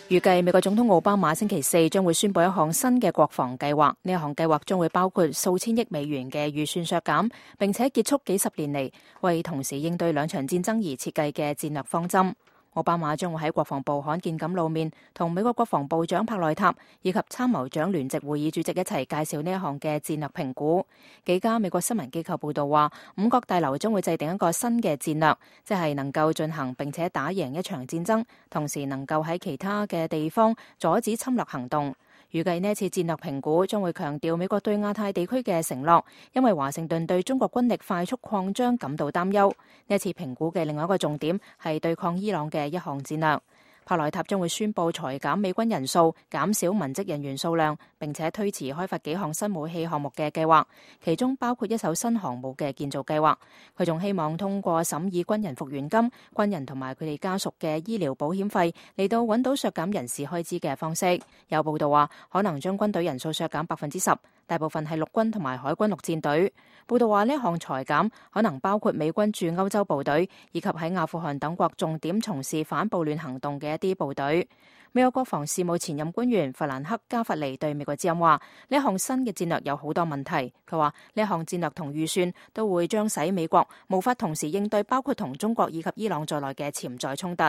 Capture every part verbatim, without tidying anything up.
預計美國總統奧巴馬星期四將會宣布一項新嘅國防計劃，呢一項計劃將會包括數千億美元嘅預算削減，並且結束幾十年嚟為同時應對兩場戰爭而設計嘅戰略方針。奧巴馬將會喺國防部罕見咁露面，同美國國防部長帕內塔以及參謀長聯席會議主席一齊介紹呢一項嘅戰略評估。幾家美國新聞機構報道話，五角大樓將會制定一個新嘅戰略，即係能夠進行並且打贏一場戰爭，同時能夠喺其他嘅地方阻止侵略行動。預計呢次戰略評估將會強調美國對亞太地區嘅承諾，因為華盛頓對中國軍力快速擴張感到擔憂。呢次評估嘅另外一個重點係對抗伊朗嘅一項戰略。帕內塔將會宣布裁減美軍人數，減少文職人員數量，並且推遲開發幾項新武器項目嘅計劃，其中包括一艘新航母嘅建造計劃。佢仲希望通過審議軍人復員金、軍人同埋佢哋家屬嘅醫療保險費嚟到揾到削減人事開支嘅方式。有報道話，可能將軍隊人數削減百分之十，大部分係陸軍同埋海軍陸戰隊。報道話呢項裁減可能包括美軍駐歐洲部隊，以及喺阿富汗等國重點從事反暴亂行動嘅一啲部隊。美國國防事務前任官員弗蘭克加弗尼對美國之音話：呢一項新嘅戰略有好多問題。佢話呢一項戰略同預算都會將使美國無法同時應對包括同中國以及伊朗在內嘅潛在衝突。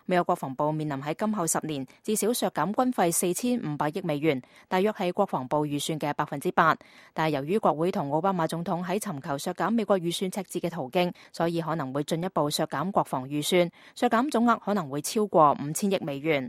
美國國防部面臨喺今後十年至少削減軍費四千五百億美元，大約係國防部預算嘅百分之八。但係由於國會同奧巴馬總統喺尋求削減美國預算赤字嘅途徑，所以可能會進一步削減國防預算，削減總額可能會超過五千億美元。